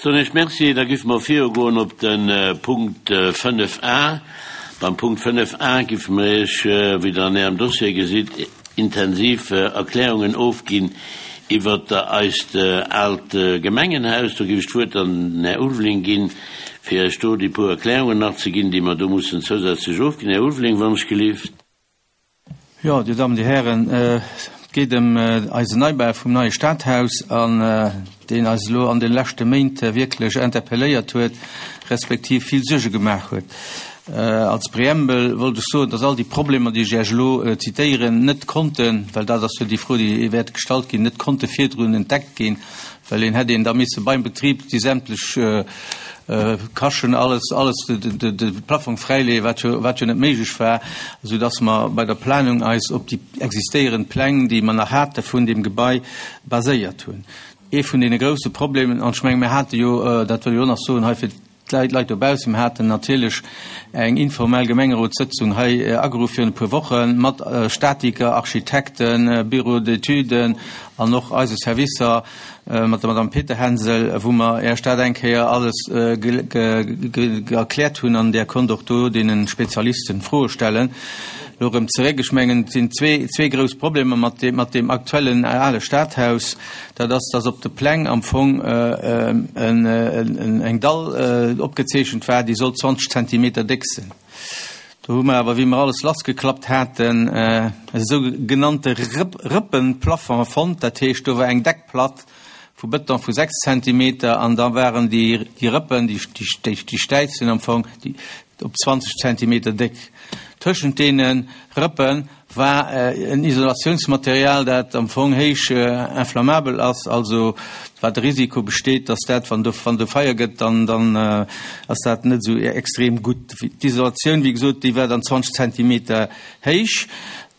Soen ech Merci. Da giffe mer virugoen op de Punkt 5 a. Beim Punkt 5 a giffe mer Iech, wéi Der an Ärem Dossier gesitt, intensiv Erklärungen ofginn iwwert eist aalt Gemengenhaus. Do giff ech d'Wuert dann den Här Ulveling ginn, fir Iech do déi puer Erklärungen nach ze ginn, déi mer do mussen zousätzlech ofginn. Här Ulveling, wann ech gelift. Jo, Dir Dammen, Dir Hären, et geet ëm eisen Neibau vum neie Stadhaus, an deen eis elo an de leschte Méint wierklech interpelléiert huet, respektiv vill Suerge gemaach huet. Als Preambel wollt ech soen, dass all déi Problemer, déi ech Iech elo zitéieren, net konnten, well dat ass jo déi Fro, déi wäert gestallt ginn, net konnte virdrun entdeckt ginn, well een hätt een da misse beim Betrib déi sämtlech Kaschen, alles, alles, de Plafong fräileeën, wat jo, wat jo net méiglech war, esou dass mer bei der Planung eis op déi existéierend Pläng, déi mer nach hate vun deem Gebai, baséiert hunn. Ee vun deene grouse Problemen, an ech menge mir hate jo, dat wëll ech och nach soen hei fir d'Leit, Leit dobaussen, mir haten natierlech eng informell Gemengerotssëtzung hei ageruff virun e puer Woche mat Statiker, Architekten, Bureaux d'études an och eise Servicer, mat der Madame Peterhänsel, wou mer Iech dat eng Kéier alles erkläert hunn an Där konnt och do deene Spezialisten Froe stellen. Elo erëm zeréck, ech mengen, et sinn zwee grouss Problemer mat deem aktuellen ale Stadhaus. Dat ass, dass op de Pläng am Fong eng Dall opgezeechent war, déi sollt 20 Zentimeter déck sinn. Do hu mer awer, wéi mer alles lassgeklappt haten, e sou genannte Rëppenplafond fonnt. Dat heescht, do war eng Deckplatt vu Bëton vu 6 Zentimeter an da waren déi Rëppen, déi Stäizen am Fong, op 20 Zentimeter déck. Tëschent deene Rëppe war en Isolatiounsmaterial, dat am Fong héich inflammabel ass, also wat de Risiko besteet, dass dat, wann do, wann do Feier gëtt, dann, dann ass dat net esou extrem gutt. D'Isolatioun, wéi gesot, déi war dann 20 Zentimeter héich.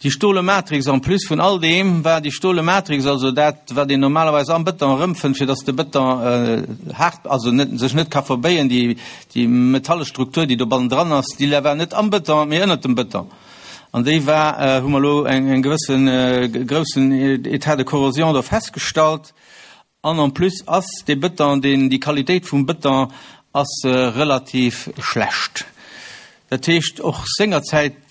Déi stole Matrix, en plus vun all deem war déi stole Matrix, also dat, wat een normalerweis am Bëton erëmfënnt, fir dass de Bëton haart, also net, sech net ka verbéien, déi, déi metalle Struktur, déi do bannendran ass, déi war net am Bëton, mee ënnert dem Bëton. An déi war, hu mer elo eng gewëssen groussen État de corrosion do festgestallt. An en plus ass dee Bëton, deen, déi Qualitéit vum Bëton ass relativ schlecht. Dat heescht, och sengerzäit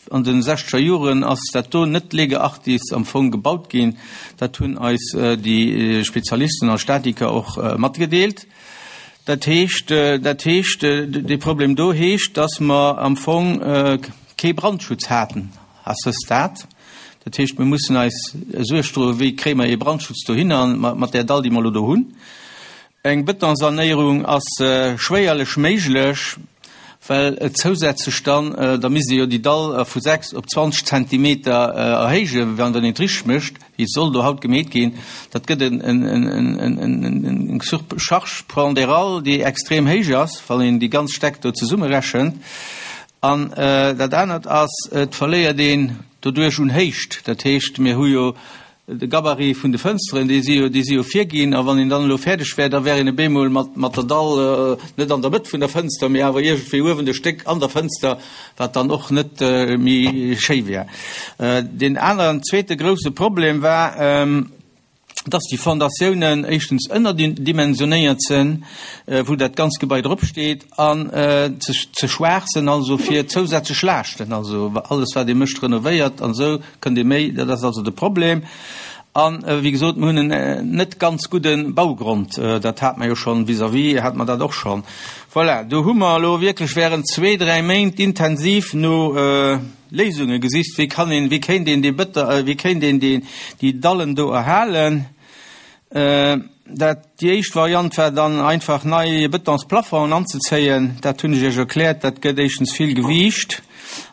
an de sechzeger Joren ass dat do net lege artis am Fong gebaut ginn. Dat hunn eis déi Spezialisten a Statiker och matgedeelt. Dat heescht, dat heescht, dee Problem do heescht, dass mer am Fong kee Brandschutz haten à ce stade. Dat heescht, mir mussen eis Suerg droen, wéi kréie mer ee Brandschutz dohinner mat där Dall, déi mer elo do hunn. Eng Betonsanéierung ass schwéierlech méiglech, well et zousätzlech dann, da misst ee jo déi Dall vu 6 op 20 Zentimeter erhéijen, wann een et richteg mécht. wéi et soll do haut gemeet ginn, dat gëtt eng Surcharge pondérale, déi extrem héich ass, wann een déi ganz Stäck do zesummerechent. An dat anert ass, et verléiert een doduerch un Héicht. Dat heescht, mir hu jo de Gabarit vun de Fënsteren, déi si jo, déi si jo virginn. A wann een dann elo fäerdeg wär, da wär een op eemol mat, mat der Dall net an der Mëtt vun der Fënster, mee awer iergendwéi uewen e Stéck an der Fënster, wat dann och net méi schéi wär. Deen aneren, zweete grouse Problem war, dass déi Fondatiounen éischtens ënnerdimensionéiert sinn, wou dat ganz Gebai drop steet, an ze ze schwaach sinn also fir zousätzlech Laaschten. Also alles wat ee mécht, renovéiert an esou, kënnt ee méi, dat ass also de Problem. An wéi gesot, mir hunn en net ganz gudde Baugrond. Dat hate mer jo schonn vis-à-vis, hate mer dat och schonn. Voilà, do hu mer elo wierklech während zwee, dräi Méint intensiv no Léisunge gesicht, wéi kann een, wéi kéint een dee Bëtter, wéi kéint een déi, déi Dallen do erhalen. Dat, déi éischt Variant war dann einfach nei Betonsplafongen anzezéien. Dat hunn ech Iech erkläert, dat gëtt éischtens vill Gewiicht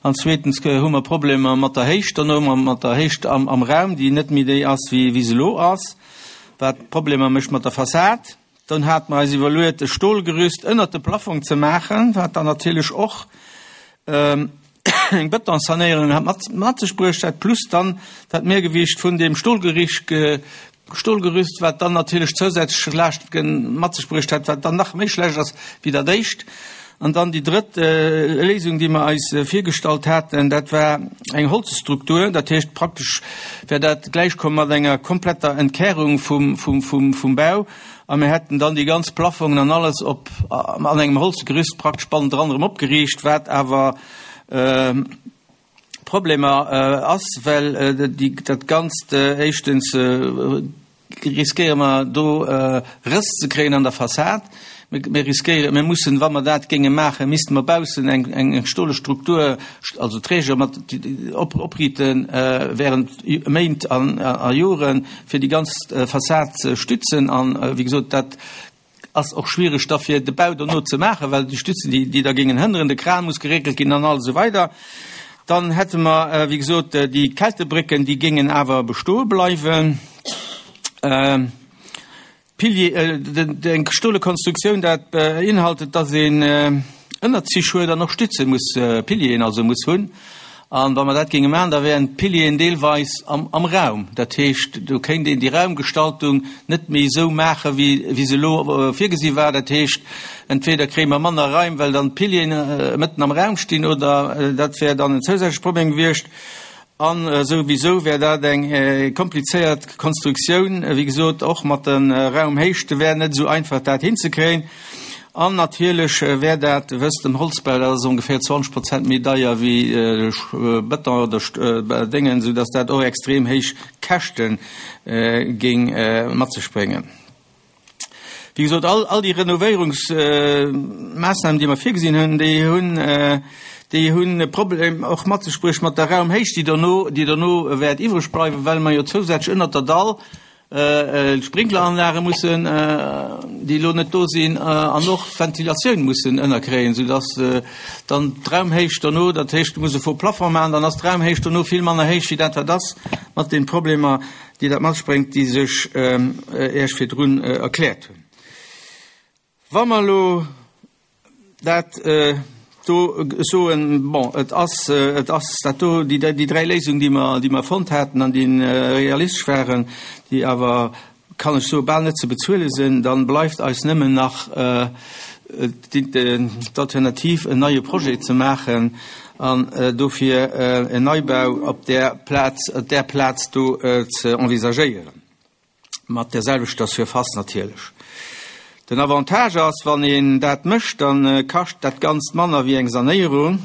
an zweetens hu mer Problemer mat der Héicht dono, mat der Héicht am, am Raum, déi net méi déi ass, wéi, wéi se elo ass, wat Problemer mécht mat der Fassad. Dann hate mer eis iwwerluet, e Stolgerüst ënnert de Plafong ze maachen, wat dann natierlech och eng Betonsanéierung hat mat, mat sech bruecht hätt, plus dann dat Mehrgewicht vun deem Stolgericht, Stolgerüst, wat dann natierlech zousätzlech Laaschte mat sech bruecht hätt, wat dann nach méi schlecht ass wéi dat éischt. An dann déi drëtt Léisung, déi mer eis virgestallt haten, dat war eng Holzstruktur. Dat heescht, praktesch wär dat gläichkomm mat enger kompletter Entkärung vum, vum, vum, vum Bau. A mir hätten dann déi ganz Plafongen an alles op an engem Holzgerüst praktesch bannendran erëm opgeriicht, wat awer Problemer ass, well déi dat Ganzt éischtens riskéiere mer do Rëss ze kréien an der Fassad. Mir riskéieren, mir mussen, wa mer dat géinge maachen, misste mer baussen eng eng stole Struktur, also Träger mat opriiten während Méint a Joren, fir déi ganz Fassad ze stützen. An, wéi gesot, dat ass och schwiereg da fir de Bau dono ze maachen, well déi Stützen, déi déi da géingen hënneren, de Kran muss geréckelt ginn an alles esou weider. Dann hätte mer, wéi gesot, déi Kältebrécken, déi géingen awer bestoe bleiwen. Pilier, eng stole Konstruktioun, dat beinhaltet, dass een Ënnerzich huet an och Stütze muss, Pilieren also muss hunn. An wa mer dat géinge maachen, da wären d'Pilieren deelweis am Raum. Dat heescht, do kéint een déi Raumgestaltung net méi esou maachen, wéi se elo virgesi war. Dat heescht, entweder kréie mer manner Raim, well dann d'Pilieren mëtten am Raum stinn, oder dat wär dann en zousätzleche Problem gewiescht. A souwisou wär dat eng komplizéiert Konstruktioun, wéi gesot, och mat de Raumhéichte wär net esou einfach dat hinzekréien. An natierlech wär dat, wësst, den Holzbau, dat ass ongeféier 20 Prozent méi deier wéi Bëton oder Déngen, soudass dat och extrem héich Käschte géing mat sech bréngen. Wéi gesot, all, all déi Renovéierungsmaassnamen, déi mer virgesinn hunn, déi hunn, déi hunn e Problem och mat sech bruecht mat der Raumhéicht, déi dono, déi dono wäert iwwreg bleiwen, well mer jo zousätzlech ënnert der Dall d'Sprinkleranlage mussen, déi elo net do sinn, an och d'Ventilatioun mussen ënnerkréien, soudass dann d'Raumhéicht dono, dat heescht, du muss e faux Plafond maachen, dann ass d'Raumhéicht dono vill manner héich wéi dat wat ass, mat den Problemer, déi dat mat sech bréngt, déi sech Iech virdrun erkläert hunn. Wa mer elo dat do soen, bon, et ass, et ass dat do, déi, déi dräi Léisungen, déi mer, déi mer fonnt haten an déi realistesch waren, déi awer, kann ech soen, bal net ze bezuele sinn, da bleift eis nëmmen nach d'Alternativ, en neie Projet ze maachen an dofir en Neibau op där Plaz, op där Plaz do ze envisagéieren, mat där selwechter Surface natierlech. Den Avantage ass, wann een dat mécht, da kascht dat Ganzt manner wéi eng Sanéierung,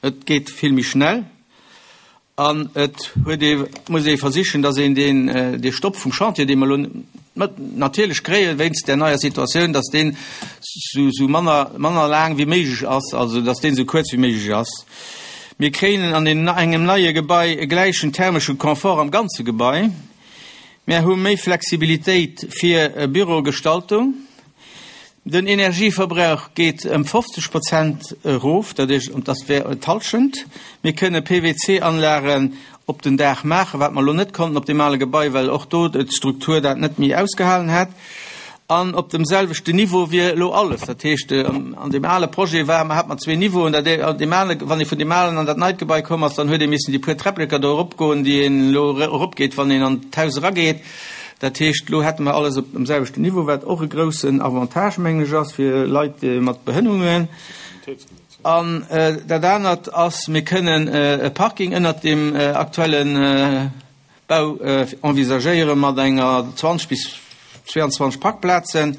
et geet vill méi schnell. An et huet ee, muss ee versichen, datt een deen, dee Stopp vum Chantier, dee mer elo natierlech kréien wéinst där neier Situatioun, datt deen sou, sou manner, manner laang wéi méiglech ass, also datt deen esou kuerz wéi méiglech ass. Mir kréien an deem, engem neie Gebai e gläichen thermesche Confort am ganze Gebai. Mär hu méi Flexibilitéit fir Bürogestaltung. Den Energieverbrauch geet ëm 50 Prozent erof, dat heescht, dat wär d'Hallschent. Mir kënne PWC-Anlagen op den Daach maachen, wat mer elo net konnten op deem ale Gebai, well och do d'Struktur dat net méi ausgehalen hätt. An op dem selwechten Niveau wier elo alles. Dat heescht, an deem ale Projet war, hat mer zwee Niveauen, dat ee, an deem ale, wann ee vun deem alen an dat neit Gebai komm ass, dann huet ee missen déi puer Träppleker do eropgoen, déi een elo eropgeet, wann een an d'Haus erageet. Dat heescht, elo hätte mer alles op dem selwechten Niveau, wat och e groussen Avantage, mengen ech, ass fir Leit mat Behënnungen. An dat anert ass, mir kënnen e Parking ënnert deem aktuelle Bau envisagéiere mat enger 20 bis 22 Parkplazen.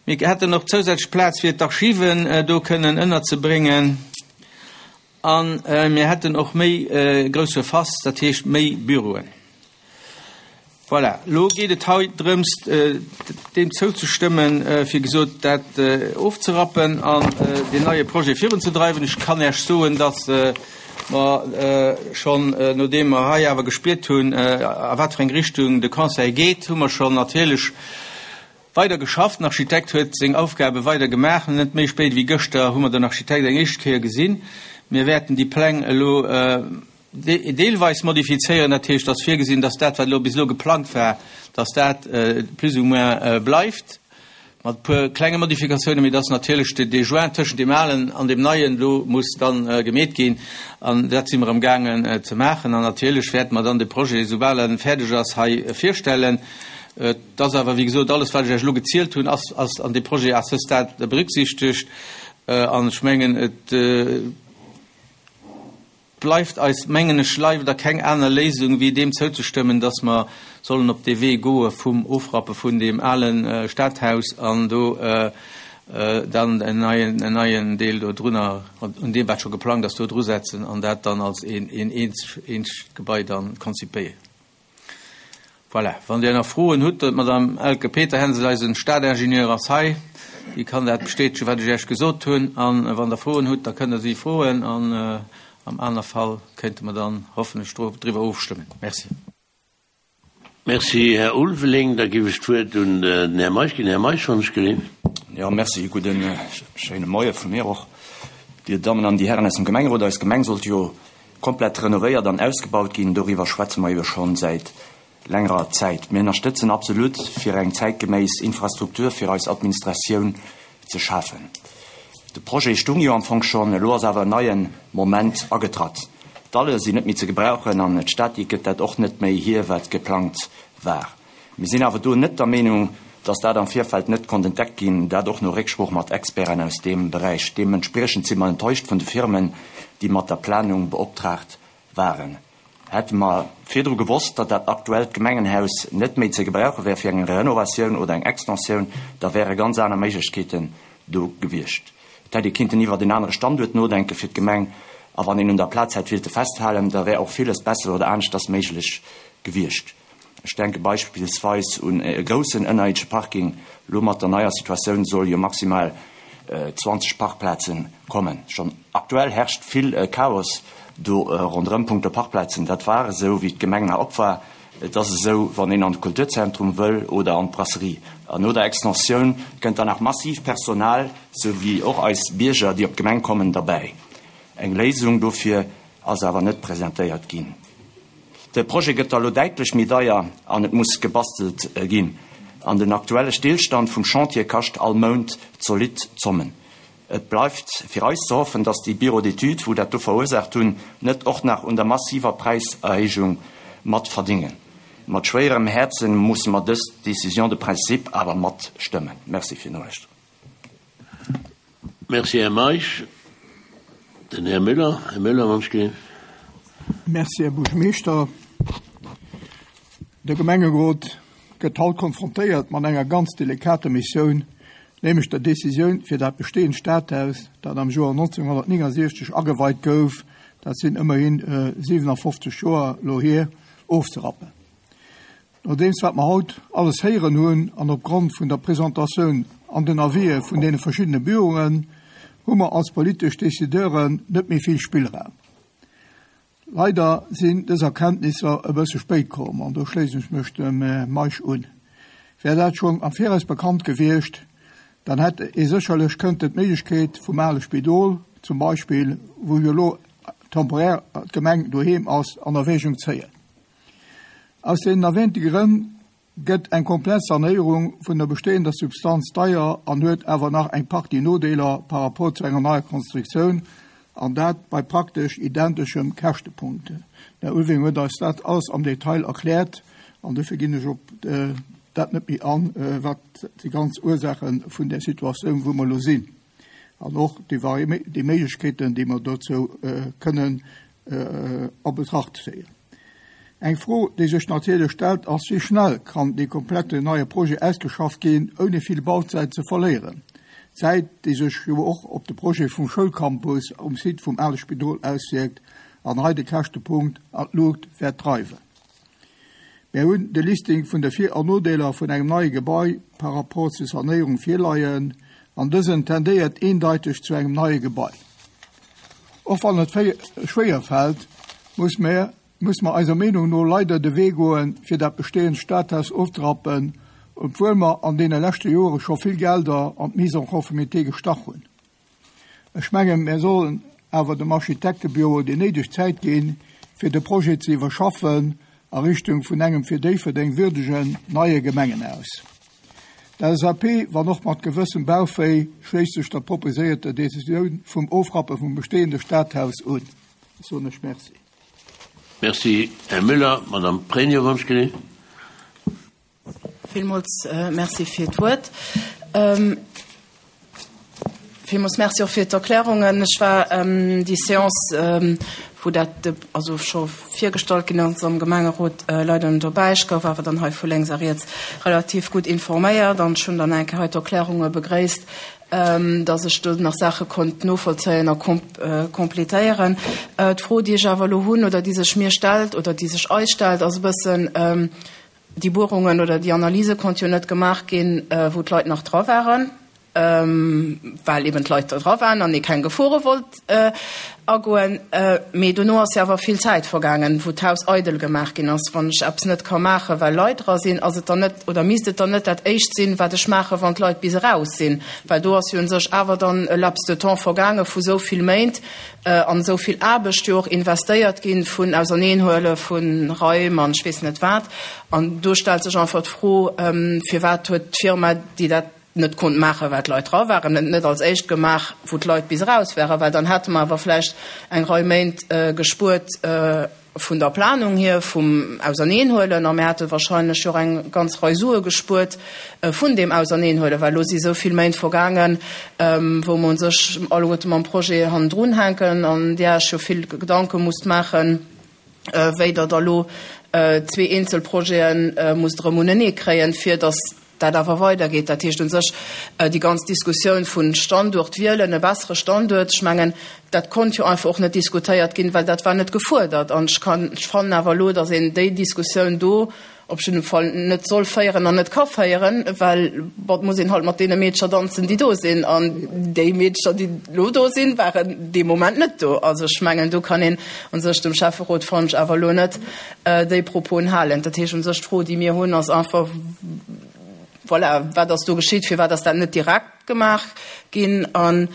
Mir hätten och zousätzlech Plaz fir d'Archiven do kënnen ënnerzebréngen. A mir hätten och méi grouss Surface, dat heescht méi Büroen. Voilà, elo geet et hei drëms, deem zouzestëmmen, fir gesot dat ofzerappen an deen neie Projet virunzedreiwen. Ech kann Iech soen, datt mer schonn, nodeem mer hei awer gespiert hunn, a wat fir eng Richtung de Conseil geet, hu mer schonn natierlech weider geschafft. Den Architekt huet seng Aufgabe weider gemaach. Net méi spéit wéi gëschter hu mer den Architekt eng éischt Kéier gesinn. Mir wäerten déi Pläng elo deelweis modifizéieren. Dat heescht, et ass virgesinn, dass dat, wat elo bis elo geplangt war, dass dat plus ou moins bleift, mat e puer klenge Modifikatiounen, mee dass natierlech dee Joint tëschent deem Alen an deem Neien elo muss dann gemeet ginn. An dat si mer amgaangen ze maachen. An natierlech wäerte mer dann de Projet, soubal e fäerdeg ass, hei virstellen. Et ass awer, wéi gesot, alles, wat ech Iech elo gezielt hunn, ass, ass an deem Projet à ce stade berücksichtegt. An ech mengen, et bleift eis, mengen ech, leider keng aner Léisung, wéi deem zouzestëmmen, dass mer. sollen op dee Wee goe vum Ofrappe vun deem ale Stadhaus an do dann en neien, en neien Deel do drunner, un deem wat scho geplangt ass, do drusetzen an dat dann als een, een eenzegt Gebai dann konzipéieren. Voilà, wann Dir nach Froen hutt, d'Madame Elke Peterhänsel, eisen Stadingenieur, ass hei, déi kann dat bestätegen, wat ech Iech gesot hunn. A wann Der Froen hutt, da kënnt Der si froen an am aner Fall kéinte mer dann hoffentlech driwwer ofstëmmen. Merci. Merci, Här Ulveling. Da géif ech d'Wuert un den Här Meisch ginn. Här Meisch, wann ech geleent. Jo, merci. Gudden, schéine Moie vu mir och, Dir Dammen an Dir Hären aus dem Gemengerot. Eis Gemeng sollt jo Komplett renovéiert an ausgebaut ginn, doriwwer schwätze mer jo schonn säit längerer Zäit. Mir ënnerstëtzen absolut, fir eng zäitgeméiss Infrastruktur fir eis Administratioun ze schafen. De Projet stung jo am Fong schonn, elo ass awer en neie Moment agetratt. D'Dalle sinn net méi ze gebrauchen an d'Statik gëtt dat och net méi hier, wat geplangt war. Mir sinn awer do net der Meenung, dass dat am Virfeld net konnt entdeckt ginn, dat och no Récksprooch mat Experten aus deem Beräich. Deementspriechend si mer enttäuscht vun de Firmen, déi mat der Planung beoptraagt waren. Hätte mer virdru gewosst, datt dat aktuellt Gemengenhaus net méi ze gebrauche wär fir eng Renovatioun oder eng Extensioun, da wäre ganz aner Méiglechkeeten do gewiescht. Et hätt ee kinnten iwwert en anere Standuert nodenke fir d'Gemeng, a wann een un der Plaz hätt willte festhalen, da wär och villes besser oder aneschters méiglech gewiescht. Ech denke beispillsweis un e groussen ënnerierdesche Parking. Elo mat der neier Situatioun soll jo maximal 20 Parkplaze kommen. Schonn aktuell herrscht vill Chaos do ronderëm punkto Parkplazen. Dat war esou, wéi d'Gemeng nach op war. Et ass esou, wann een an de Kulturzentrum wëll oder an d'Brasserie. An no der Extensioun kënnt dann nach massiv Personal, sou wéi och eis Bierger, déi op d'Gemeng kommen, derbäi. Eng Léisung dofir ass awer net presentéiert ginn. De Projet gëtt da lo däitlech méi deier an et muss gebastelt ginn. An den aktuelle Stillstand vum Chantier kascht all Mount zolidd Zommen. Et bleift fir eis ze hoffen, datt déi Bureaux d'études, wou dat do verursaacht hunn, net och nach un der massiver Präiserhéijung mat verdingen. Mat schwéierem Häerzen musse mer dës Décision de principe awer matstëmmen. Merci fir d'Nolauschteren. Merci, Här Meisch. Den Här Müller. Här Müller, wann ech geleent. Merci, Här Buergermeeschter. De Gemengerot gëtt haut konfrontéiert mat enger ganz delikater Missioun, nämlech der Décisioun fir dat bestehend Stadhaus, dat am Joer 1969 ageweit gouf, dat sinn ëmmerhi 57 Joer elo hier, ofzerappen. Nodeems wat mer haut alles héieren hunn an opgrond vun der Presentatioun an den Avisë vun deene verschiddene Büroen, hu mer als politesch Décideuren net méi vill Spillraum. Leider sinn dës Erkenntnisser e bësse spéit komm, an do schléissen ech mech dem Här Meisch un. Wär dat schonn am Viraus bekannt gewiescht, dann hätt ee sécherlech kënnten d'Méiglechkeet vum ale Spidol zum Beispill, wou jo elo temporaire d'Gemeng doheem ass, an Erwägung zéien. Aus deenen erwähnte Grënn gëtt eng komplett Sanéierung vun der bestehender Substanz deier an huet awer nach eng Partie Nodeeler par rapport zu enger neier Konstruktioun, an dat bei praktesch identeschem Käschtepunkt. Den Här Ulveling huet eis dat alles am Detail erkläert an dofir ginn ech op dat net méi an, wat déi ganz Ursaache vun där Situatioun, wou mer elo sinn, an och déi Méiglechkeeten, déi mer dozou kënnen a Betracht zéien. Eng Fro, déi sech natierlech stellt, ass, Wéi schnell kann dee komplette neie Projet ausgeschafft ginn, ouni vill Bauzäit ze verléieren? Zäit, déi sech jo och op de Projet vum Schoulcampus um Site vum ale Spidol auswierkt an hei de Käschtepunkt an d'Luucht wäert dreiwen. Mär hunn de Listing vun de Vir an Nodeeler vun engem neie Gebai par rapport zur Sanéierung virleien, an dësen tendéiert eendeiteg zu engem neie Gebai. Och wann et schwéier fält, muss mer muss mer eiser Meenung no leider de Wee goen, fir dat bestehend Stadhaus ofzerappen, obwuel mer an deene leschte Jore scho vill Gelder an d'Mise en conformité gestach hunn. Ech mengen, mär sollen awer dem Architektebüro déi néideg Zäit ginn, fir de Projet ze iwwerschaffen a Richtung vun engem fir Déifferdeng würdegen neie Gemengenhaus. D'LSAP, wann och mat gewëssem Bauchwéi, schléisst sech der proposéierter Decisioun vum Ofrappe vum bestehende Stadhaus un. Ech soen lech Merci. Merci, Här Müller. Madame Pregno, wann ech geleent. Villmools Merci fir d'Wuert. Villmools Merci och fir d'Erklärungen. Ech war déi Séance, wou dat also scho virgestallt ginn ass am Gemengerot, leider net dobäi. Ech gouf awer dann hei vu lénks a riets relativ gutt informéiert an ech hunn dann eng Kéier hei d'Erklärunge begréisst, dass ech do nach Saache konnt novollzéien a complétéieren. D'Fro, déi ech awer elo hunn oder déi sech mir stellt oder déi sech eis stellt, ass e bëssen, Déi Buerungen oder déi Analyse konnt jo net gemaach ginn, wou d'Leit nach dra waren, well eben d'Leit do dra waren an ee keng Gefore wollt agoen. Mee dono ass jo awer vill Zäit vergaangen, wou d'Haus eidel gemaach ginn ass. Wann ech eppes net ka maachen, well Leit dra sinn, ass et dann net oder misst et dann net dat Éischt sinn, wat ech maachen, wann d'Leit bis eraus sinn? Well do ass jo u sech awer dann e Laps de temps vergaange vu sou vill Méint an esou vill Aarbecht jo och investéiert ginn vun Auserneenhuele vu Raim an ech weess net wat. An do stellt sech einfach d'Fro, Firwat huet d'Firma, déi dat net konnt maachen, well d'Leit dra waren, et net als éischt gemaach, wou d'Leit bis eraus waren? Well dann hätte mer awer vläicht eng Rei Méint gespuert vun der Planung hier, vum Auserneenhuelen, a mir hätte wahrscheinlech jo och eng ganz Rei Sue gespuert vun deem Auserneenhuelen, well elo si esou vill Méint vergaangen, wou mer u sech alleguerte mam Projet hannendrun hänken an Dir Iech jo vill Gedanke musst maachen, wéi Der da lo zwee eenzel Projete musst erëm uneneekréien, fir datt dat awer weidergeet. Dat heescht u sech, déi ganz Diskussioun vu Standuert wielen, e bessere Standuert, ech mengen, dat konnt jo einfach och net diskutéiert ginn, well dat war net gefuerdert. An ech kann, ech fannen awer elo, datt een déi Diskussioun do op jidde Fall net soll féieren an net ka féieren, well, bon, et muss een halt mat deene Meedercher danzen, déi do sinn. An déi Meedercher, déi elo do sinn, waren dee Moment net do. Also ech mengen, do kann een u sech dem Schäfferot, fannen ech, awer elo net déi Proposen halen. Dat heescht u sech, d'Fro, déi mir hunn, ass einfach, voilà, wat ass do geschitt, firwat ass dat net direkt gemaach ginn an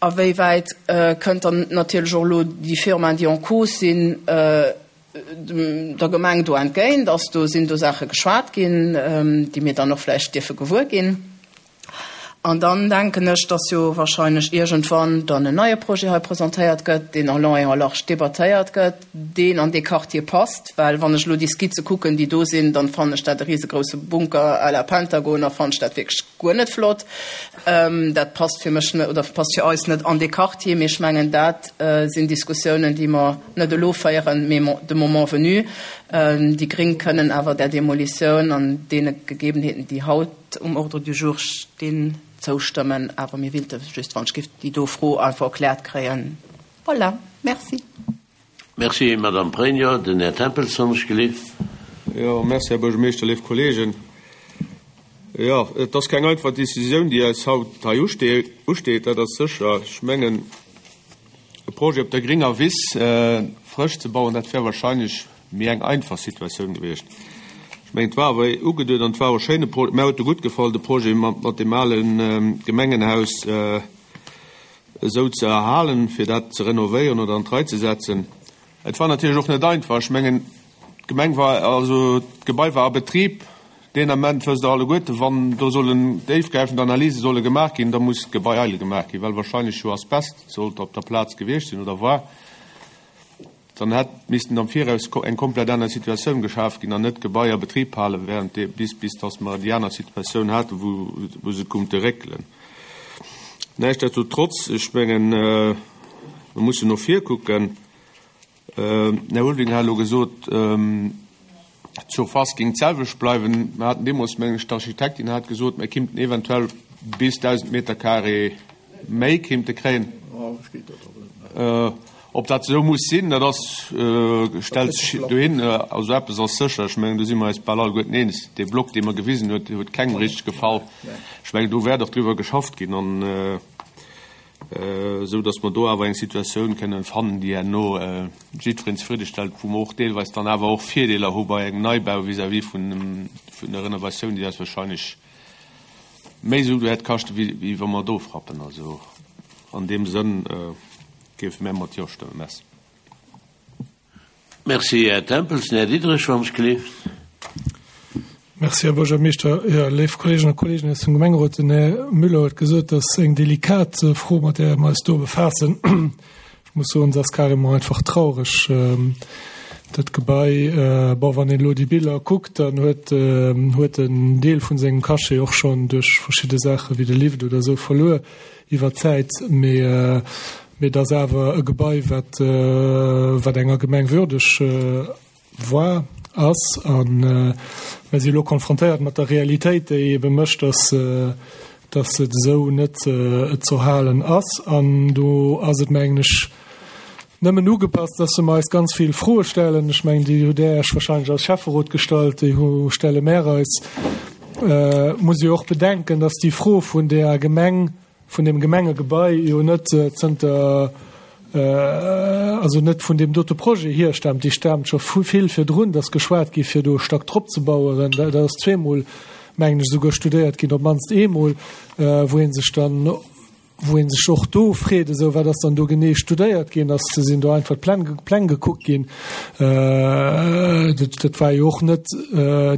a wéi wäit kënnt dann natierlech och elo déi Firmaen, déi en cause sinn, der Gemeng do entgéint? Ass do, sinn do Saache geschwat ginn, déi mir dann och vläicht dierfe gewuer ginn? An dann denken ech, dass jo wahrscheinlech iergendwann dann en neie Projet hei presentéiert gëtt, deen en long et en large debattéiert gëtt, deen an dee Quartier passt. Well wann ech elo déi Skizze kucken, déi do sinn, dann fannen ech dat e risegrousse Bunker à la Pentagon a fannen ech dat wierklech guer net flott. Dat passt fir mech net oder passt fir eis net an dee Quartier. Mee ech mengen, dat sinn Diskussiounen, déi mer net elo féieren, mee de moment venu. Déi Gréng kënnen awer där Demolitioun an deene Gegebenheeten, déi haut, um Ordre du jour stinn, zoustëmmen, awer mir willte just, wann ech giff, déi do Fro einfach erkläert kréien. Voilà, merci. Merci, Madame Pregno. Den Här Tempels, wann ech gelift. Jo, merci, Här Buergermeeschter, léif Kolleegen. Jo, et ass keng einfach Décisioun, déi eis haut hei usteet, dat ass sécher. Ech mengen, e Projet op der gringer Wiss frësch ze bauen, dat wär wahrscheinlech Méi eng einfach Situatioun gewiescht. Ech mengen, et war awer ugeduet an et war och e schéine Projet. Mär huet e gutt gefall, de Projet mat deem ale Gemengenhaus esou ze erhalen, fir dat ze renovéieren oder an d'Rei ze setzen. Et war natierlech och net einfach. Ech mengen, d'Gemeng war, also d'Gebai war a Betrib deen Ament, wësst Der alleguerte, wann do sollen déifgräifend Analyse solle gemaach ginn, da muss d'Gebai eidel gemaach ginn, well wahrscheinlech jo Asbest sollt op der Plaz gewiescht sinn oder war. Dann hätt missten am Viraus eng komplett aner Situatioun geschaf ginn an net d'Gebai a Betrib halen, während dee, bis, bis dass mer déi aner Situatioun haten, wou, wou se kummte réckelen. Näischtdestotrotz, ech mengen, mer mussen no vir kucken. Den Här Ulveling hat elo gesot, D'Surface géing d'selwecht bleiwen. Mer haten deemools, mengen ech, d'Architektin hat gesot, mer kimmten eventuell bis 1.000 Meter carré méi kimmte kréien. Ob dat esou muss sinn, dat ass, stellt sech dohin. Also eppes ass sécher, ech mengen, do si mer eis bal alleguerten eens, dee Block, dee mer gewisen huet, dee huet kengem richteg gefall. Ech mengen, do wäert och driwwer geschafft ginn. An esou datt mer do awer eng Situatioun kënnen fannen, déi herno jiddwereen zefridde stellt, wou mer och deelweis dann awer och Virdeeler hu bei engem Neibau vis-à-vis vun der Renovatioun, déi eis wahrscheinlech méi Sue wäert kaschten, wéi wa mer do frappen. Also an deem Sënn géife mär mat Jo stëmmen. Merci. Merci, Här Tempels. Den Här Diderich, wann ech gelift. Merci, Här Buergermeeschter. Jo, léif Kolleeginnen a Kolleegen aus dem Gemengerot, den Här Müller huet gesot, dat ass eng delikat Fro, mat där mer eis do befaassen. Ech muss soen, se ass carrément einfach traureg. Dat Gebai, bon, wann een elo déi Biller kuckt, dann huet huet en Deel vun sengem Cachet och schonn duerch verschidde Saache wéi de Lift oder esou verluer iwwer d'Zäit. Mee mee et ass awer e Gebai, wat wat enger Gemeng würdeg war, ass. A mir si elo konfrontéiert mat der Realitéit, déi ebe mécht, dass dass et esou net ze halen ass. An do ass et, mengen ech, nëmmen ugepasst, dass mer eis ganz vill Froe stellen. Ech mengen, déi hutt Där Iech wahrscheinlech als Schäfferot gestallt, déi hu stelle mär eis. Muss ee jo och bedenken, dass déi Fro vun där Gemeng, vun deem Gemengegebai jo net zënter, also net vun deem dote Projet hierstaamt, déi staamt scho vu vill virdrun, dass geschwat gi fir do e Stack drop ze baueren. Dat ass zweemol, mengen ech, esouguer studéiert ginn, op d'mannst eemol, wou ee sech dann, wou ee sech och do freet, esou wat ass dann do genee studéiert ginn, ass sinn do einfach d'Pläng Pläng gekuckt ginn. Dat, dat war jo och net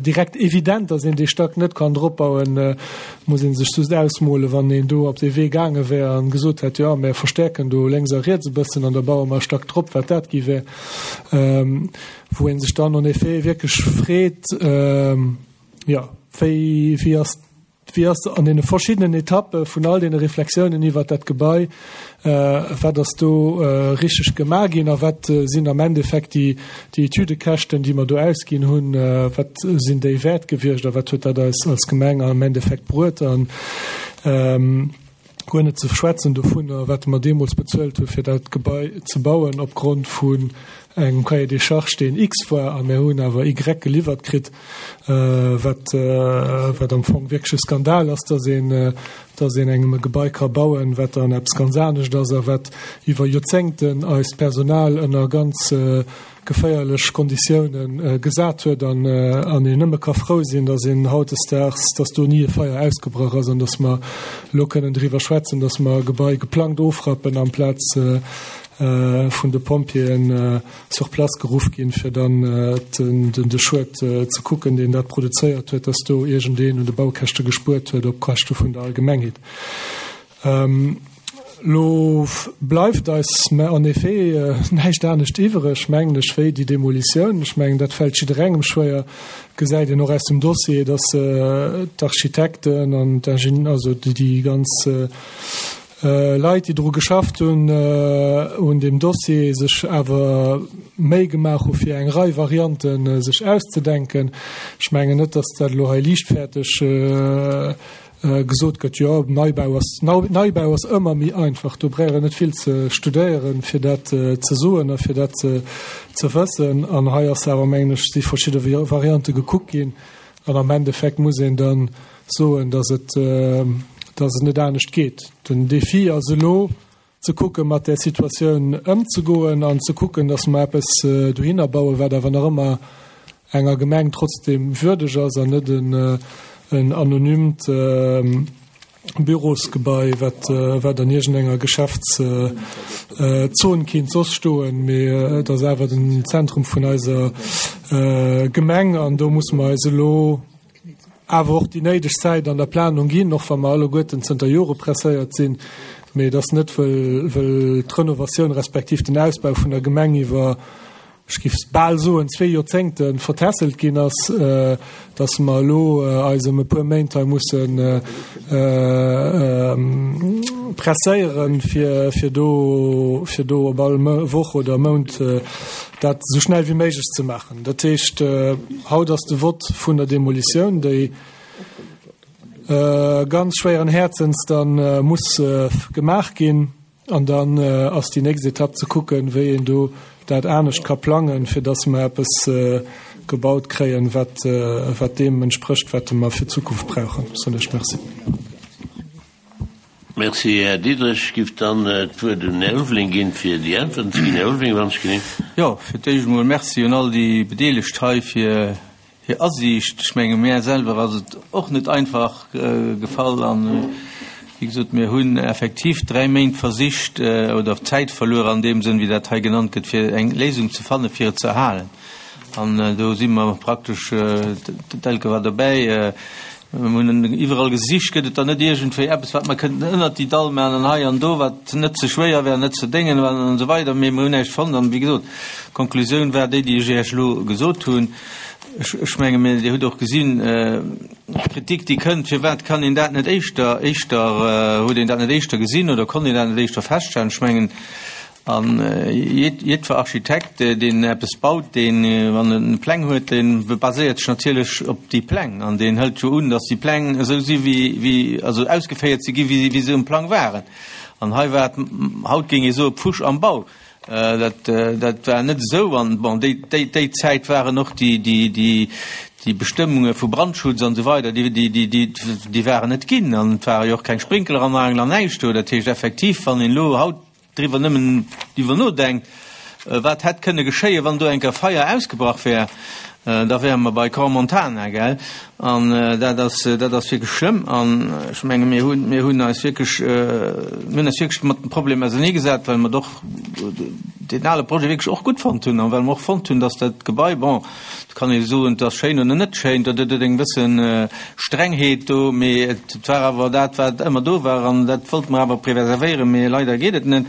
direkt evident, dass een dee Stack net kann dropbauen. Muss ee sech just ausmolen, wann een do op dee Wee gaange wär an gesot hätt, jo mär verstäerken do lénks a riets e bëssen an da baue mer e Stack drop, wat dat gi wär. Wou ee sech dann en effet wierklech freet, jo wéi, wéi ass, wéi ass an deene verschiddenen Etappe vun all deene Reflexiounen iwwert dat Gebai, wat ass do richteg gemaach ginn a wat sinn am Endeffekt déi, déi Etüdekäschten, déi mer do ausginn hunn, wat sinn déi wäert gewiescht a wat huet dat eis als Gemeng am Endeffekt bruet an guer net ze schwätzen dovunner, wat mer deemools bezuelt hu fir dat Gebai ze bauen opgrond vun engem Cahier des charges, deen X war a mir hunn awer Y geliwwert kritt, wat wat am Fong wierklech e Skandal ass, dass een dass een engem e Gebai ka bauen, wat dann eppes ganz anescht ass a wat iwwer Joerzéngten eist Personal ënner ganz geféierlech Konditiounen gesat huet an an een nëmme ka frou sinn, dass een hautdesdaags, dass do ni e Feier ausgebrach ass an dass mer elo kënnen driwwer schwätzen, dass mer e Gebai geplangt ofrappen amplaz vun de Pompjeeën sur place geruff ginn, fir dann de Schued ze kucken, deen dat produzéiert huet, dass do iergendeen un de Baukäschte gespuert huet op Käschte vun der Allgemengheet. Elo bleift eis en effet näischt anescht iwwereg, mengen ech, wéi déi Demolitioun. Ech mengen, dat fält jidderengem schwéier. Gesäit een och aus dem Dossier, dass d'Architekten an d'Ingenieur, also déi ganz Leit, déi dru geschafft hunn un deem Dossier, sech awer Méi gemaach hu fir eng Rei Variante sech auszedenken. Ech mengen net, datt dat elo hei liichtfäerteg gesot gëtt, jo Neibau ass, Neibau ass ëmmer méi einfach. Do brauch een net vill ze studéieren, fir dat ze soen a fir dat ze wëssen. An hei ass awer, mengen ech, si verschidde Variante gekuckt ginn an am Endeffekt muss een dann, soen, dass et, dass et net anescht geet. Den Défi ass elo ze kucken, mat där Situatioun ëmzegoen an ze kucken, dass mer eppes dohinner bauen, wat awer nach ëmmer enger Gemeng trotzdem würdeg ass an net en anonymt Bürosgebai, wat, wat an iergendenger Geschäftszon kinnt soss stoen. Mee et ass awer den Zentrum vun eiser Gemeng an do musse mer eis elo, awer och déi néideg Zäit an der Planung ginn, och wa mer alleguerten zënter Jore presséiert sinn, mee et ass net, wëll, wëll d'Renovatioun respektiv den Ausbau vun der Gemeng iwwer, ech géif bal soen, zwee Joerzéngte vertässelt ginn ass, dass mer elo eis ëm e puer Méint hei musse presséieren, fir, fir do, fir do op all Woch oder Mount dat esou schnell wéi méiglech ze maachen. Dat heescht, haut ass de Vott vun der Demolitioun, déi ganz schwéieren Häerzens da muss gemaach ginn. An dann ass déi nächst Etapp ze kucken, wéi een do dat anescht ka plangen, fir datt mer eppes gebaut kréien, wat, wat deem entsprécht, wat mer fir d'Zukunft brauchen. Soen ech Merci. Merci, Här Diderich. Ech giff dann d'Wuert un den Här Ulveling ginn, fir déi Äntwerten ze ginn. Här Ulveling, wann ech genee. Jo, fir d'éischt emol Merci un all déi Bedeelegt hei fir hir Asiicht. Ech menge mär selwer ass et och net einfach gefall an, wéi gesot, mir hunn effektiv dräi Méint versicht oder Zäit verluer an deem Sënn, wéi dat hei genannt gëtt, fir eng Léisung ze fannen, fir et ze erhalen. An do si mer praktesch, d'Elke war dobäi. Mir hunn iwwerall gesicht, gëtt et da net iergendwéi eppes, wat mer kënnten ënnert déi Dall maachen an hei an do, wat net ze schwéier wär, net ze déngen war an esou weider. Mee mir hunn näischt fonnt. An, wéi gesot, d'Konklusioun war déi, déi ech Iech elo gesot hunn. Ech, ech menge mir, Dir hutt och gesinn, d'Kritik, déi kënnt, firwat kann een dat net éischter, éischter, huet een dat net éischter gesinn oder konnt een dat net éischter feststellen? Ech mengen, A jiddwer Architekt, deen eppes baut, deen, wann en Pläng huet, dee baséiert sech natierlech op déi Pläng an deen hëlt jo un, datt déi Pläng esou si wéi, wéi, also ausgeféiert si gi wéi se um Plang waren. An hei war et, haut géing ee soe Pfusch am Bau. Dat, dat war net esou. An bon, déi, déi, déi Zäit waren och déi, déi, déi, déi Bestëmmunge vu Brandschutz an esou weider, déi, déi, déi, déi, déi waren net ginn. An et ware jo och keng Sprinkleranlagen an näischt do. Dat heescht effektiv, wann een elo haut driwwer nëmmen driwwer nodenkt, wat hätt kënne geschéien, wann do eng Kéier Feier ausgebrach wär, da wäre mer bei Crans-Montana, gell? An dat ass, dat ass wierklech schlëmm. An ech menge mir hunn, mir hunn eis wierklech, mir hunn eis wierklech mat dem Problem auserneegesat, well mer doch deen ale Projet wierklech och gutt fonnt hunn an well mer och fonnt hunn, dass dat Gebai, bon, Et kann ee soen, et ass schéin oder net schéin, dat huet eng bësse Strengheet do, mee et war awer dat, wat ëmmer do war an dat wollte mer awer preservéieren, mee leider geet et net.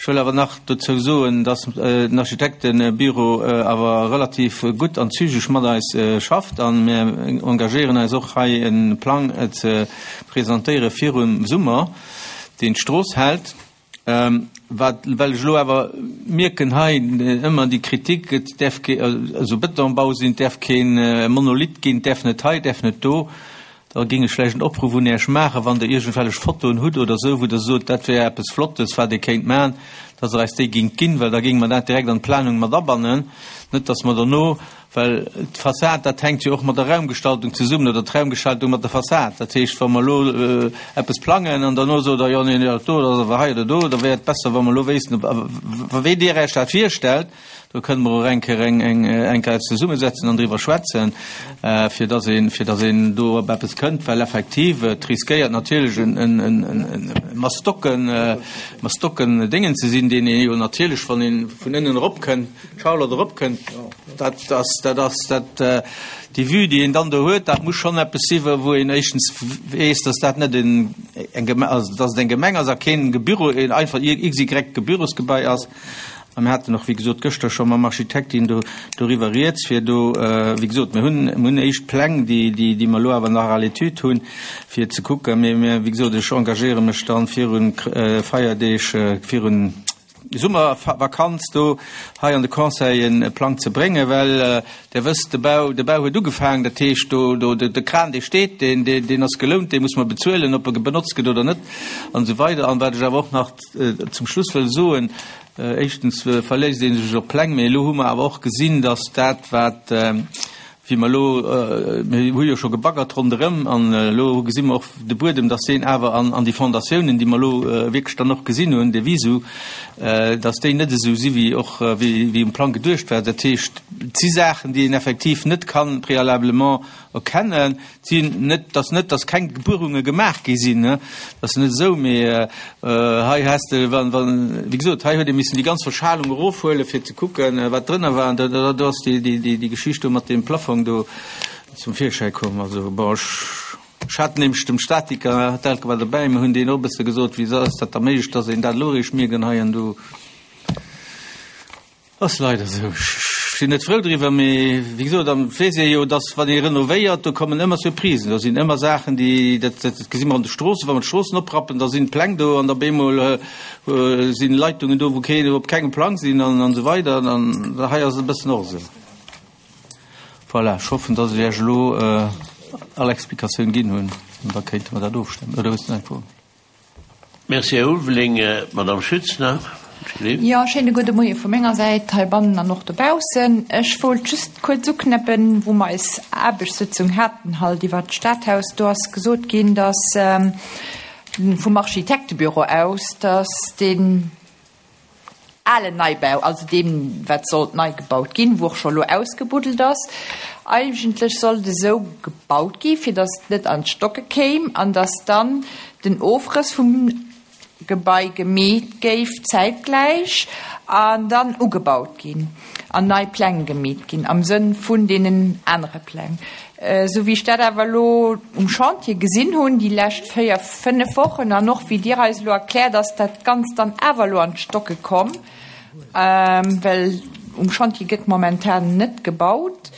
Ech wëll awer nach dozou soen, dass den Architektebüro awer relativ gutt an zügeg mat eis schafft a mir engagéieren eis och hei e Plang ze presentéiere virum Summer, deen d'Strooss hält. Wat, well ech elo awer mierken hei ëmmer déi Kritik, et däerf kee, also Betonbau sinn, et däerf kee Monolith ginn, et däerf net hei, et däerf net do, da géing ech vläicht en Opruff un Iech maachen, wann Der iergendwellech Fotoen hutt oder esou, wou Der sot, dat wär eppes Flottes, wat ee kéint maachen, dass Der eis déi géingt ginn, well da géinge mer dat direkt an d'Planung mat abannen, net dass mer derno Well d'Fassad, dat hänkt jo och mat der Raumgestaltung zesummen, oder d'Raumgestaltung mat der Fassad. Dat heescht, wa mer elo eppes plangen an derno sot Der, jo, nee, dat do, dat ass awer hei oder do, da wär et besser, wa mer elo wéissten, wéi Dir Iech dat virstellt. Do kënne mer och eng Kéier eng, eng, eng Kéier eis zesummesetzen an driwwer schwätzen, fir dass een, fir dass een do op eppes kënnt. Well effektiv, et riskéiert natierlech en, en, en, en Mastocken, Mastocken Déngen ze sinn, deen ee jo natierlech, wann ee vun ënnen eropkënnt, Charlotte eropkënnt, dat ass, dat ass dat, déi Vue, déi een dann do huet, dat muss schonn eppes si wou een éischtens weess, datt dat net en, eng Geme-, also datt et eng Gemeng ass a keen Gebüro, een einfach XY Gebürosgebai ass. A mir haten och, wéi gesot, gëschter scho mam Architektin do doriwwer rieds, fir do, wéi gesot, mir hunn, mir hunn éischt Pläng, déi, déi, déi mer elo awer nach à l'étude hunn, fir ze kucken. Mee mir, wéi gesot, ech engagéiere mech dann virun Feierdeeg, virun Summervakanz do hei an de Conseil e Plang ze bréngen, well Der wësst, de Bau, de Bau huet ugefaangen, dat heescht do, do, de Kran dee steet, deen, deen, deen ass gelount, dee muss mer bezuelen, ob e benotzt gëtt oder net an esou weider. An wat ech awer och nach zum Schluss wëll soen, éischtens verléisst ee sech op Pläng, mee elo hu mer awer och gesinn, datt dat wat, wéi mer elo, mir hu jo scho gebaggert ronderëm an elo gesi mer och de Buedem, dass deen awer an, an déi Fondatiounen, déi mer elo wierklech dann och gesinn hunn, de Visu, dass déi net esou si wéi och, wéi, wéi um Plang geduecht war. Dat heescht, et si Saachen, déi een effektiv net kann préalablement erkennen. Et sinn net, dass net, dass keng Buerunge gemaach gi sinn, dat ass net esou, mee hei häss de, wann, wann, wéi gesot, hei huet ee missen déi ganz Verschalung erofhuelen, fir ze kucken, wat drënner war. An da, da, do ass déi, déi, déi, déi Geschicht do mat deem Plafong do zum Virschäi komm. Also, bon, ech, ech hat nämlech dem Statiker, d'Elke war dobäi, mir hunn deen och e bësse gesot, wéi ass dat da méiglech, dass een dat elo eréischt mierken hei an do. Ass leider esou. Ech sinn net frou driwwer, mee wéi gesot, an et weess ee jo, dass wann ee renovéiert, do kommen ëmmer Surprisen, do sinn ëmmer Saachen, déi, dat gesi mer an de Stroossen, wa mer d'Stroossen oprappen, da sinn d'Pläng do an op eemol sinn Leitungen do, wou keen, op kengem Plang sinn an esou weider. An hei ass et e bëssen och esou. Voilà, ech hoffen, dass ech Iech elo all Explikatioun ginn hunn an da kéinte mer dat ofstëmmen. Oder hues du nach eng Fro? Merci, Här Ulveling. D'Madame Schütz nach. Jo, schéine gudde Moie vu menger Säit heibannen an och dobaussen. Ech wollt just kuerz uknäppen, wou mer eis Aarbechtssëtzung haten halt iwwert d'Stadhaus, do ass gesot ginn, dass vum Architektebüro aus, dass deen alen Neibau, also deem wat sollt nei gebaut ginn, wou och scho elo ausgebuddelt ass, eigentlech sollt esou gebaut gi fir datt et net an d'Stocke kéim an datt dann den Ofrëss vum. Gebai gemeet géif zäitgläich an dann ugebaut ginn an nei Pläng gemeet ginn am Sënn vun deenen anere Pläng. Esou wéi ech dat awer elo um Chantier gesinn hunn déi lescht 4, 5 Wochen an och wéi Dir eis elo erkläert, ass dat Ganzt dann awer elo an d'Stocke komm, well um Chantier gëtt momentan net gebaut.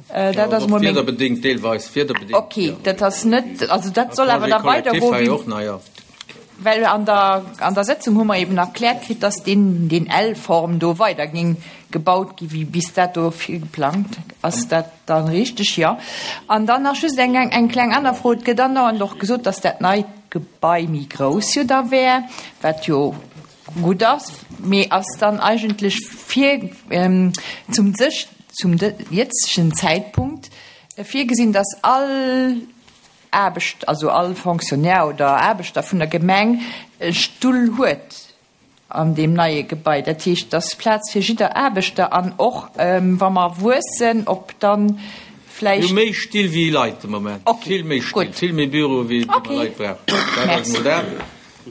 Dat ass emol meng. Wiederbedéngt, deelweis wiederbedéngt. Okay, dat ass net, also dat soll awer da weidergoen. Well an der, an der Sëtzung hu mer eben erkläert kritt, dass deen, deen L-Form do weider géing gebaut gi wéi bis dato geplangt. Ass dat dann richteg? Jo. An dann nach just eng, eng kleng aner Fro. Et gëtt andauernd och gesot, dass dat neit Gebai méi grouss jo da wär, wat jo gutt ass, mee ass dann eigentlech vir, zum sech, zum jëtzegen Zäitpunkt virgesinn, dass all Aarbecht, also all Fonctionnaire oder Aarbechter vun der Gemeng e Stull huet an deem neie Gebai. Dat heescht, et ass Plaz fir jidder Aarbechter an och wa mer wuessen, ob dann vläicht. Mir hu méi Still wéi Leit de Moment. Ok, Vill méi Still, gutt. vill méi Büroe wéi Ok, mer Leit brauchen. Dat ass merci. emol dat.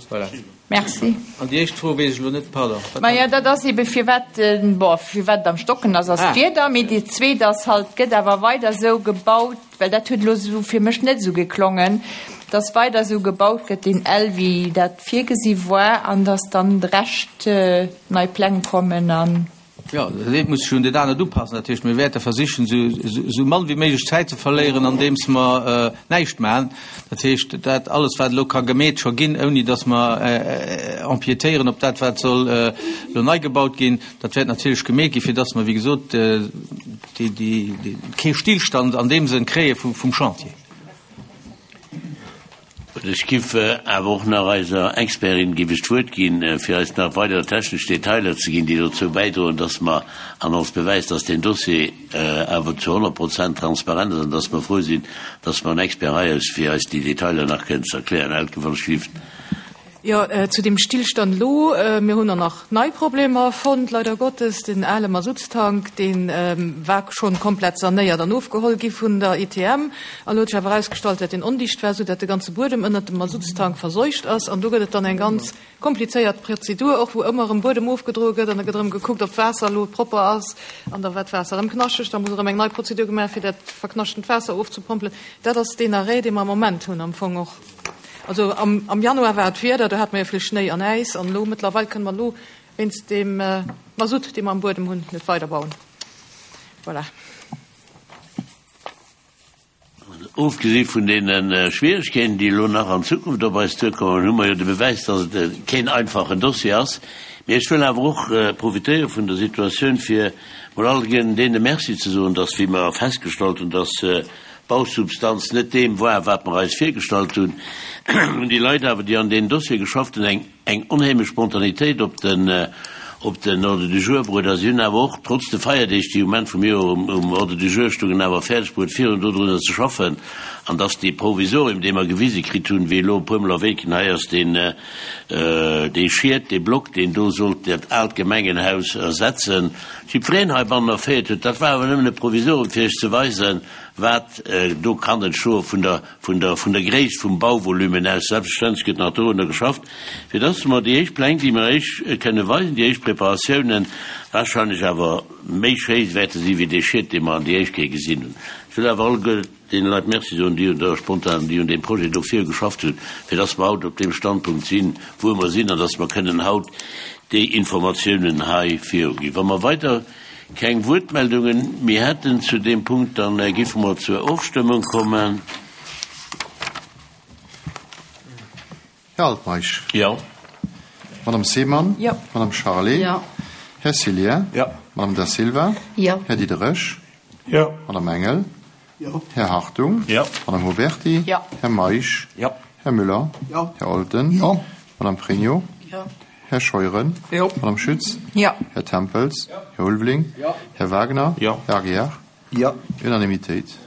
Voilà. Merci. An déi éischt Fro weess ech elo net, pardon. Wat Majo, dat ass ebe firwat, bon, firwat et am Stocken ass, ass d'Wieder, mee déi zweet ass halt, et gëtt awer weider esou gebaut, well dat huet elo esou fir mech net esou geklongen, dass weider esou gebaut gëtt, deen L, wéi dat virgesi war, an dass dann de Rescht nei Pläng kommen an. Jo, dat eent muss sech un dat anert upassen. Dat heescht, mir wäerte versichen, esou mann wéi méiglech Zäit ze verléieren, andeems mer näischt maachen. Dat heescht, dat alles, wat elo ka gemeet scho ginn, ouni datt mer empiétéieren op dat, wat soll elo nei gebaut ginn, dat wäert natierlech gemeet ginn, fir datt mer, wéi gesot, kee Stillstand an deem Sënn kréie vum Chantier. Ech giff awer och nach eiser Expertin giff ech d'Wuert ginn, fir eis nach weider technesch Detailer ze ginn, déi dozou bäidroen, dass mer, an als Bewäis, dass deen Dossier awer zu 100 Prozent transparent ass an dass mer frou sinn, dass mer en Expert hei ass, fir eis déi Detailer nach kënnen ze erklären. Elke, wann ech giff. Jo, zu deem Stillstand elo, Mir hunn och nach nei Problemer fonnt, leider Gottes. Den ale Masuttstank, dee war schonn komplett sanéiert an ofgeholl gi vun der ITM. An elo huet sech awer erausgestallt, dat deen ondicht war, soudatt de ganze Buedem ënnert dem Masuttstank verseucht ass. An do gëtt et dann eng ganz komplizéiert Prozedur och, wou ëmmer erëm Buedem ofgedroe gëtt an da gëtt erëm gekuckt, ob d'Waasser elo propper ass. An da war d'Waasser erëm knaschteg, da muss erëm eng nei Prozedur gemaach fir dat verknaschtent Waasser ofzepompelen. Dat ass deen Arrêt, dee mer am Moment hunn am Fong och. Also am Januar war et Wieder, do hate mer jo vill Schnéi an Äis an elo mëttlerweil kënne mer elo wéinst deem Masutt, dee mer am Buedem hunn, net weiderbauen. Voilà. Ofgesi vun deene Schwieregkeeten, déi elo nach an Zukunft op eis duerkommen, hu mer jo de Bewäis, dass et keen einfachen Dossier ass. Mee ech wëll awer och profitéiere vun der Situatioun, fir mol alleguerten deene Merci ze soen, dass, wéi mer festgestallt hunn, dass Bausubstanz net deem war, wat mer eis virgestallt hunn, hunn déi Leit awer, déi an deem Dossier geschafft hunn, eng eng onheemlech Spontanitéit op den op den Ordre du jour bruet a si hunn awer och, trotz de Feierdeeg, déi um Enn vum Joer um um Ordre du jour stungen, awer fäerdeg bruet, virun dodrunner ze schaffen an dass dee Provisorium, dee mer gewise kritt hunn, wéi elo e puermol erwähnt ginn, hei ass deen dee Schiet, dee Block, deen do sollt dat aalt Gemengenhaus ersetzen, jiddwereen heibannen erféiert huet, dat war awer nëmmen e Provisorium, fir Iech ze weisen, wat do kann entstoe vun der, vun der, vun der Gréisst vum Bauvolumen aus. Selbstverständlech gëtt nach dorunner geschafft, fir dass mer déi éischt Pläng, déi mer Iech kënne weisen, déi éischt Preparatiounen, wahrscheinlech awer méi schéi wäerte si wéi dee Schiet, dee mer an déi éischt Kéier gesinn hunn. Ech wëll awer alleguer deene Leit Merci soen, déi un der spontan, déi un deem Projet do virgeschafft hunn, fir dass mer haut op deem Standpunkt sinn, wou mer sinn, an dass mer kënnen haut déi Informatiounen hei viruginn. Wa mer weider keng Wuertmeldungen méi hätten zu deem Punkt, dann géife mer zur Ofstëmmung kommen. Här Altmeisch. Jo. Madame Seemann. Jo. Madame Charlé. Jo. Här Cillien. Jo. Madame Da Silva. Jo. Här Diderich. Jo. Madame Engel. Jo. Här Hartung. Jo. Madame Huberty. Jo. Här Meisch. Jo. Här Müller. Jo. Här Olten. Jo. Madame Pregno. Jo. Här Scheuren. Jo. Madame Schütz. Jo. Här Tempels. Jo. Här Ulveling. Jo. Här Wagner. Jo. Här Aguiar. Jo. Unanimitéit.